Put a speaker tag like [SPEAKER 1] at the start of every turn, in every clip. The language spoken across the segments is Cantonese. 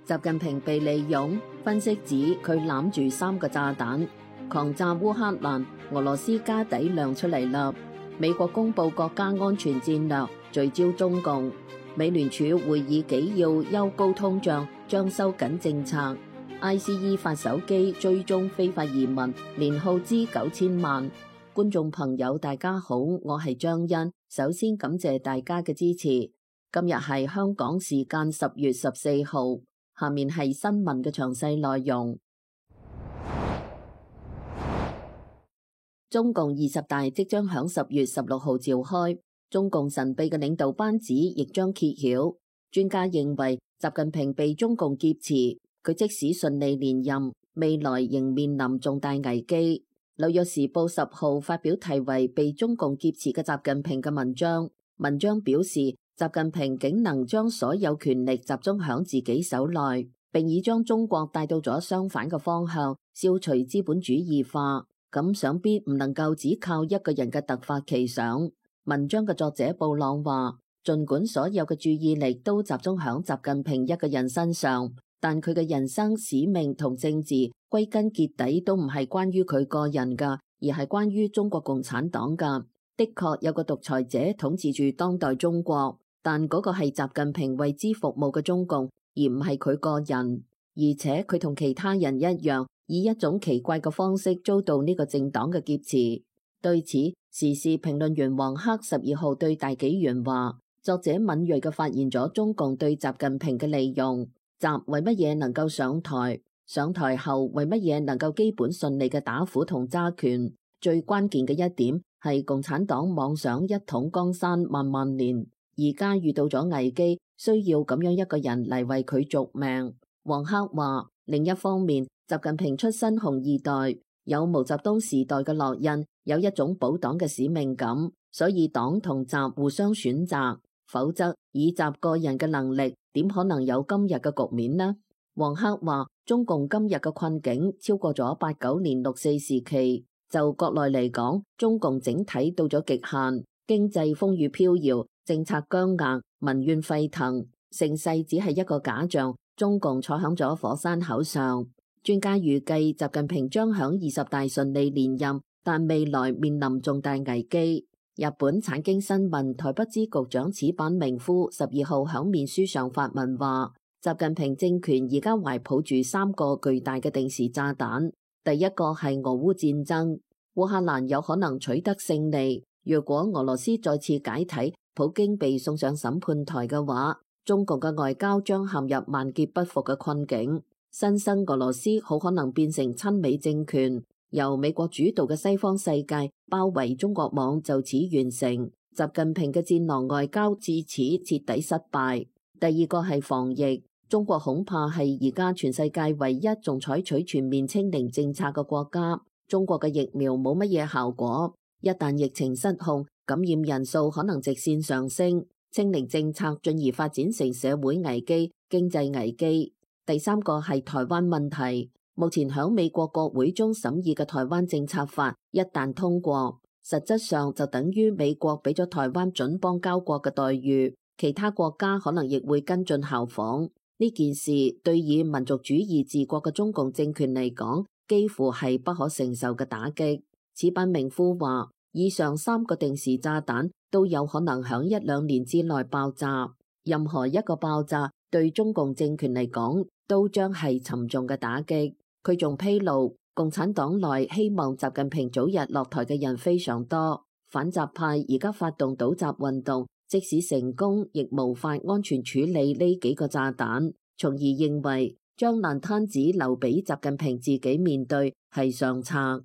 [SPEAKER 1] 習近平被利用，分析指佢攬住3個炸彈，狂炸烏克蘭，俄羅斯家底亮出嚟啦。美國公布國家安全戰略，聚焦中共。美聯儲會議紀要憂高通脹，將收緊政策。ICE 發手機追蹤非法移民，年耗資9000萬。觀眾朋友大家好，我係張欣，首先感謝大家嘅支持。今日係香港時間10月14號，下面係新聞嘅詳細內容。中共20大即將響10月16號召開，中共神秘嘅領導班子亦將揭曉。專家認為，習近平被中共劫持，佢即使順利連任，未來仍面臨重大危機。紐約時報10號發表題為《被中共劫持嘅習近平》嘅文章，文章表示，習近平竟能將所有權力集中響自己手內，並已將中國帶到咗相反嘅方向，消除資本主義化。咁想必唔能夠只靠一個人嘅突發奇想。文章嘅作者布朗話，儘管所有嘅注意力都集中響習近平一個人身上，但佢嘅人生使命同政治歸根結底都唔係關於佢個人㗎，而係關於中國共產黨㗎。的確有個獨裁者統治住當代中國，但嗰個係習近平為之服務嘅中共，而唔係佢個人。而且佢同其他人一樣，以一種奇怪嘅方式遭到呢個政黨嘅劫持。對此，時事評論員黃克12號對大紀元話，作者敏銳嘅發現咗中共對習近平嘅利用。習為乜嘢能夠上台？上台後為乜嘢能夠基本順利嘅打虎同揸權？最關鍵嘅一點係共產黨妄想一統江山萬萬年，而家遇到咗危機，需要咁樣一個人嚟為佢續命。黃克話，另一方面，習近平出身紅二代，有毛澤東時代嘅烙印，有一種保黨嘅使命感，所以黨同習互相選擇，否則以習個人嘅能力，點可能有今日嘅局面呢？黃克話，中共今日嘅困境超過咗89年6·4時期。就國內嚟講，中共整體到咗極限，經濟風雨飄搖，政策僵硬，民怨沸騰，盛世只係一個假象，中共坐響咗火山口上。專家預計習近平將響20大順利連任，但未來面臨重大危機。日本產經新聞台北支局長矢板明夫12號響面書上發文話，習近平政權而家懷抱住3個巨大嘅定時炸彈。第一個係俄烏戰爭，烏克蘭有可能取得勝利。若果俄羅斯再次解體，普京被送上審判台嘅話，中共嘅外交將陷入萬劫不復嘅困境。新生俄羅斯好可能變成親美政權，由美國主導嘅西方世界包圍中國網就此完成。習近平嘅戰狼外交至此徹底失敗。第二個係防疫。中國恐怕係而家全世界唯一仲採取全面清零政策嘅國家。中國嘅疫苗冇乜嘢效果，一旦疫情失控，感染人數可能直線上升，清零政策進而發展成社會危機、經濟危機。第三個係台灣問題。目前響美國國會中審議嘅台灣政策法一旦通過，實質上就等於美國俾咗台灣準邦交國嘅待遇，其他國家可能亦會跟進效仿。呢件事對以民族主義治國嘅中共政權嚟講，幾乎係不可承受嘅打擊。矢板明夫話，以上3個定時炸彈都有可能響1-2年之內爆炸，任何一個爆炸對中共政權嚟講都將係沉重嘅打擊。佢仲披露，共產黨內希望習近平早日落台嘅人非常多，反習派而家發動倒習運動，即使成功，亦無法安全處理呢幾個炸彈，從而認為將爛攤子留俾習近平自己面對係上策。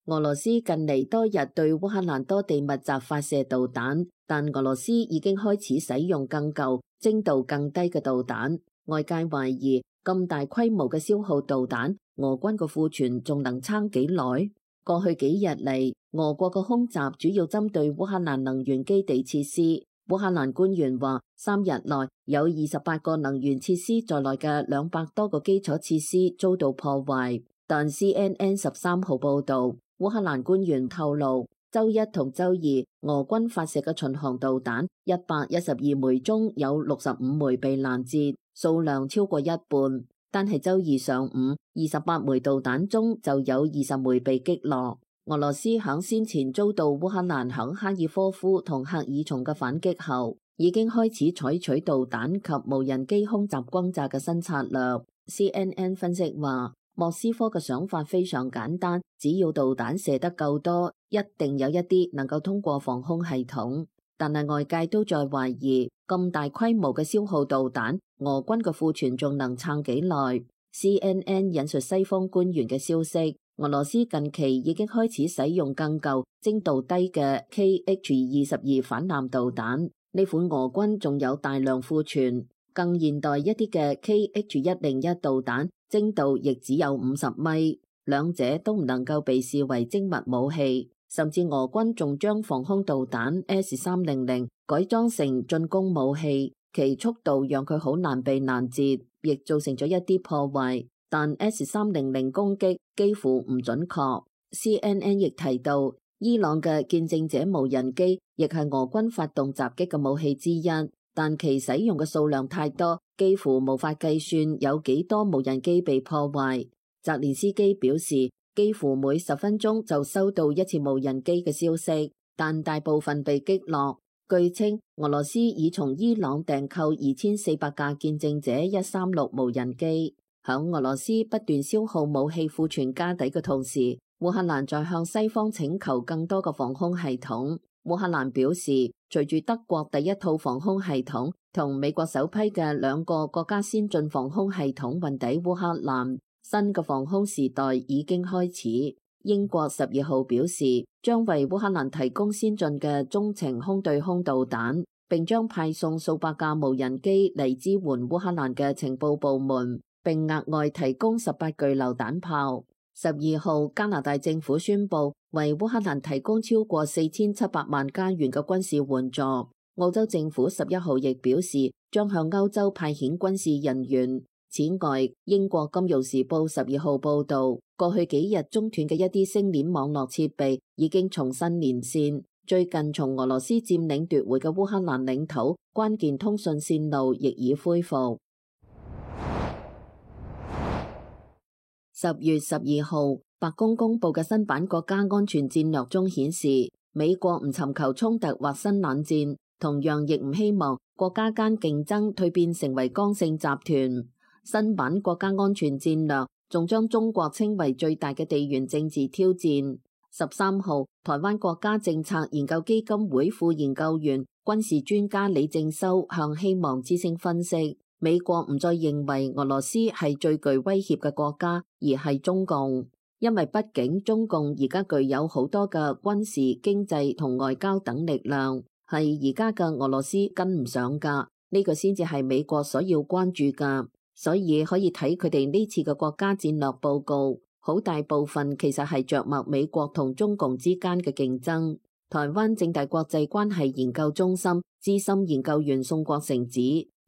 [SPEAKER 1] 俄羅斯近嚟多日對烏克蘭多地密集發射導彈，但俄羅斯已經開始使用更舊、精度更低嘅導彈。外界懷疑咁大規模嘅消耗導彈，俄軍嘅庫存仲能撐幾耐？過去幾日嚟，俄國嘅空襲主要針對烏克蘭能源基地設施。烏克蘭官員話，3日內有28個能源設施在內嘅200多個基礎設施遭到破壞。但 CNN 13號報道，烏克蘭官員透露，周一同周二，俄軍發射嘅巡航導彈112枚中有65枚被攔截，數量超過一半。但係周二上午，28枚導彈中就有20枚被擊落。俄羅斯響先前遭到烏克蘭響哈爾科夫同赫爾松嘅反擊後，已經開始採取導彈及無人機空襲轟炸嘅新策略。CNN 分析話，莫斯科嘅想法非常簡單，只要導彈射得夠多，一定有一啲能夠通過防空系統。但係外界都在懷疑，咁大規模嘅消耗導彈，俄軍嘅庫存仲能撐幾耐？ CNN 引述西方官員嘅消息，俄羅斯近期已經開始使用更舊、精度低嘅 KH-22反艦導彈，呢款俄軍仲有大量庫存。更現代一啲嘅 KH-101導彈，精度亦只有50米，兩者都唔能夠被視為精密武器。甚至俄軍仲將防空導彈 S-300改裝成進攻武器，其速度讓佢好難被攔截，亦造成咗一啲破壞。但 S-300攻擊幾乎唔準確。CNN 亦提到，伊朗嘅見證者無人機亦係俄軍發動襲擊嘅武器之一，但其使用嘅數量太多，幾乎無法計算有幾多無人機被破壞。澤連斯基表示，幾乎每10分鐘就收到一次無人機嘅消息，但大部分被擊落。據稱，俄羅斯已從伊朗訂購2400架見證者136無人機。響俄羅斯不斷消耗武器庫存家底嘅同時，烏克蘭在向西方請求更多嘅防空系統。烏克蘭表示，隨住德國第一套防空系統同美國首批嘅2個國家先進防空系統運抵烏克蘭，新嘅防空時代已經開始。英國12號表示，將為烏克蘭提供先進嘅中程空對空導彈，並將派送數百架無人機嚟支援烏克蘭嘅情報部門，並額外提供18具榴彈炮。12號，加拿大政府宣布為烏克蘭提供超過4700萬加元嘅軍事援助。澳洲政府11號亦表示，將向歐洲派遣軍事人員。此外，英國金融時報12號報道，過去幾日中斷嘅一啲星鏈網絡設備已經重新連線。最近從俄羅斯佔領奪回嘅烏克蘭領土關鍵通訊線路亦已恢復。10月12號，白宮公布嘅新版國家安全戰略中顯示，美國唔尋求衝突或新冷戰，同樣亦唔希望國家間競爭蛻變成為剛性集團。新版國家安全戰略仲將中國稱為最大嘅地緣政治挑戰。13號，台灣國家政策研究基金會副研究員、軍事專家李正修向希望之聲分析，美國唔再認為俄羅斯係最具威脅嘅國家，而係中共，因為畢竟中共而家具有好多嘅軍事、經濟同外交等力量，係而家嘅俄羅斯跟唔上㗎，呢個先至係美國所要關注㗎。所以可以睇佢哋呢次嘅國家戰略報告，好大部分其實係着墨美國同中共之間嘅競爭。台灣政大國際關係研究中心資深研究員宋國成指，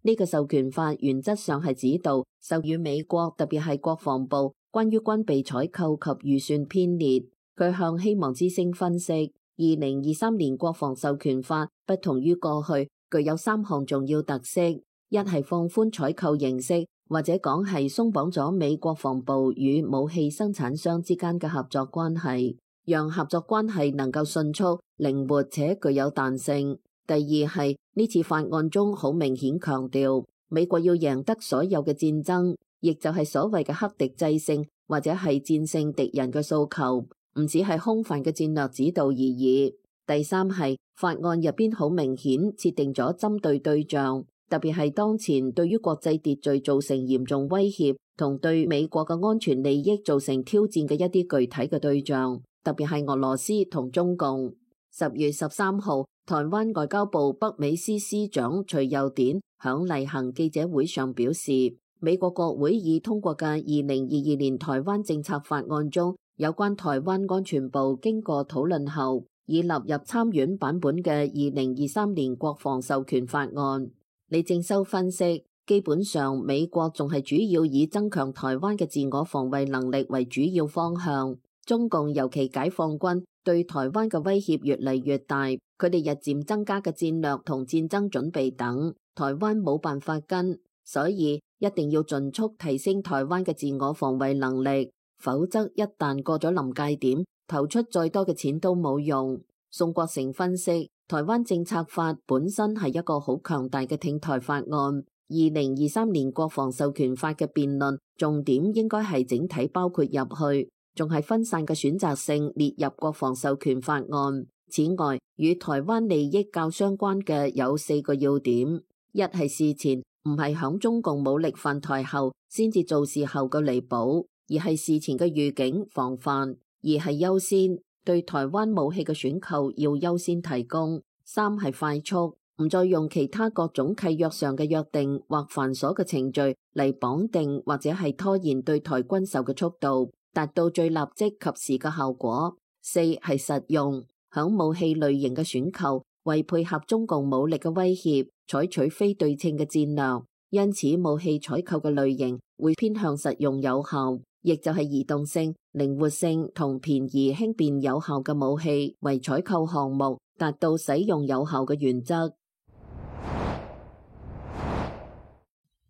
[SPEAKER 1] 呢個授權法原則上係指導授予美國，特別係國防部關於軍備採購及預算編列。佢向希望之聲分析，2023年國防授權法不同於過去，具有3項重要特色：一係放寬採購形式，或者講係鬆綁咗美國防部與武器生產商之間嘅合作關係，讓合作關係能夠迅速、靈活且具有彈性。第二係呢次法案中好明顯強調，美國要贏得所有嘅戰爭，亦就係所謂嘅克敵制勝或者係戰勝敵人嘅訴求，唔只係空泛嘅戰略指導而已。第三係法案入邊好明顯設定咗針對對象。特別係當前對於國際秩序造成嚴重威脅同對美國嘅安全利益造成挑戰嘅一啲具體嘅對象，特別係俄羅斯同中共。10月13號，台灣外交部北美司司長徐佑典響例行記者會上表示，美國國會已通過嘅2022年台灣政策法案中，有關台灣安全部經過討論後，已納入參院版本嘅2023年國防授權法案。李正修分析，基本上美國仲係主要以增強台灣嘅自我防衛能力為主要方向，中共尤其解放軍對台灣嘅威脅越嚟越大，佢哋日漸增加嘅戰略同戰爭準備等，台灣冇辦法跟，所以一定要盡速提升台灣嘅自我防衛能力，否則一旦過咗臨界點，投出再多嘅錢都冇用。宋國成分析，台灣政策法本身係一個好強大嘅挺台法案。2023年國防授權法嘅辯論重點應該係整體包括入去，仲係分散嘅選擇性列入國防授權法案。此外，與台灣利益較相關嘅有4個要點：一係事前唔係響中共武力犯台後先至做事後嘅彌補，而係事前嘅預警防範；二係優先，對台灣武器嘅選購要優先提供；三係快速，唔再用其他各種契約上嘅約定或繁瑣嘅程序嚟綁定或者係拖延對台軍售嘅速度，達到最立即及時嘅效果。四係實用，響武器類型嘅選購，為配合中共武力嘅威脅，採取非對稱嘅戰略，因此武器採購嘅類型會偏向實用有效，亦就係移動性、靈活性同便宜輕便有效嘅武器為採購項目，達到使用有效嘅原則。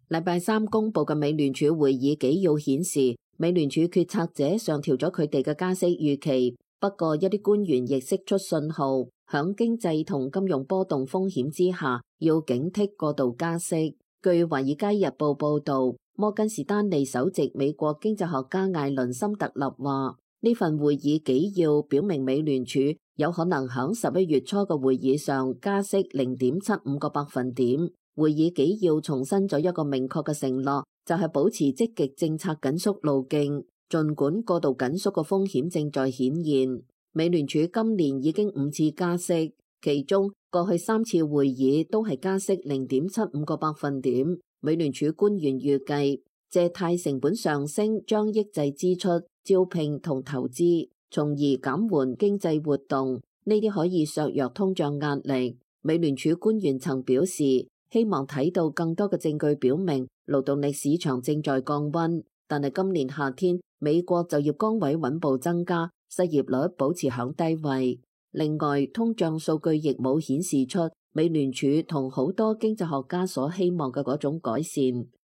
[SPEAKER 1] 禮拜三公佈嘅美聯儲會議紀要顯示，美聯儲決策者上調咗佢哋嘅加息預期，不過一啲官員亦釋出信號，響經濟同金融波動風險之下，要警惕過度加息。據《華爾街日報》報導，摩根士丹利首席美國經濟學家艾倫森特勒話，呢份會議紀要表明美聯儲有可能響11月初嘅會議上加息0.75個百分點。會議紀要重申咗一個明確嘅承諾，就係保持積極政策緊縮路徑，儘管過度緊縮嘅風險正在顯現。美聯儲今年已經5次加息，其中過去3次會議都係加息0.75個百分點。美聯儲官員預計，借貸成本上升將抑制支出、招聘同投資，從而減緩經濟活動，呢啲可以削弱通脹壓力。美聯儲官員曾表示，希望睇到更多嘅證據表明勞動力市場正在降溫，但係今年夏天美國就業崗位穩步增加，失業率保持響低位。另外，通脹數據亦冇顯示出美聯儲同好多經濟學家所希望嘅嗰種改善。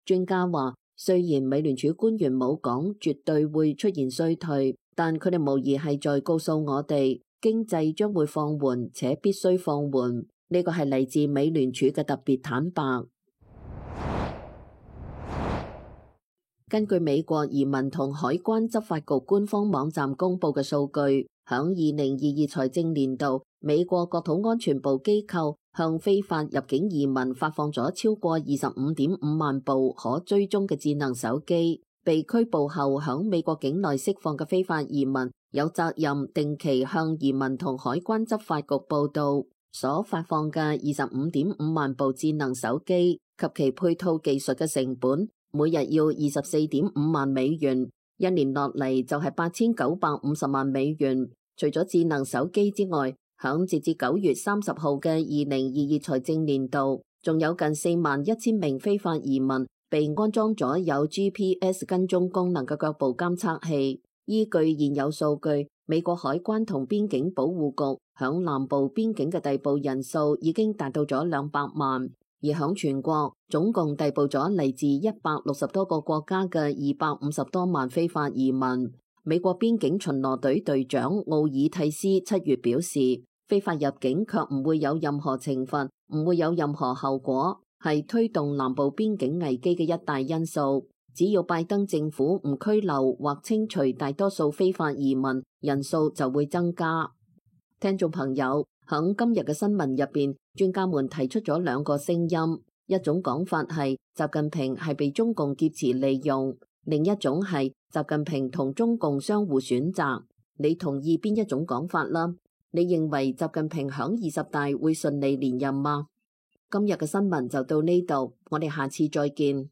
[SPEAKER 1] 專家話，雖然美聯儲官員冇講絕對會出現衰退，但佢哋無疑係在告訴我哋，經濟將會放緩且必須放緩。呢個係嚟自美聯儲嘅特別坦白。根據美國移民同海關執法局官方網站公佈嘅數據，響2022財政年度，美國國土安全部機構向非法入境移民發放咗超過25.5萬部可追蹤嘅智能手機。被拘捕後響美國境內釋放嘅非法移民有責任定期向移民同海關執法局報到。所發放嘅25.5萬部智能手機及其配套技術嘅成本，每日要24.5萬美元，一年落嚟就係8950萬美元。除咗智能手機之外，響截至9月30號嘅2022財政年度，仲有近41000名非法移民被安裝咗有 GPS 跟蹤功能嘅腳部監測器。依據現有數據，美國海關同邊境保護局響南部邊境嘅逮捕人數已經達到咗200萬，而響全國總共逮捕咗嚟自160多個國家嘅250多萬非法移民。美國邊境巡邏隊隊長奧爾蒂斯7月表示，非法入境卻唔會有任何懲罰，唔會有任何後果，係推動南部邊境危機嘅一大因素。只要拜登政府唔拘留或清除大多數非法移民，人數就會增加。聽眾朋友，喺今日嘅新聞入邊，專家們提出咗2個聲音，一種講法係習近平係被中共劫持利用，另一種係習近平同中共相互選擇。你同意邊一種講法啦？你認為習近平響20大會順利連任嗎？今日嘅新聞就到呢度，我哋下次再見。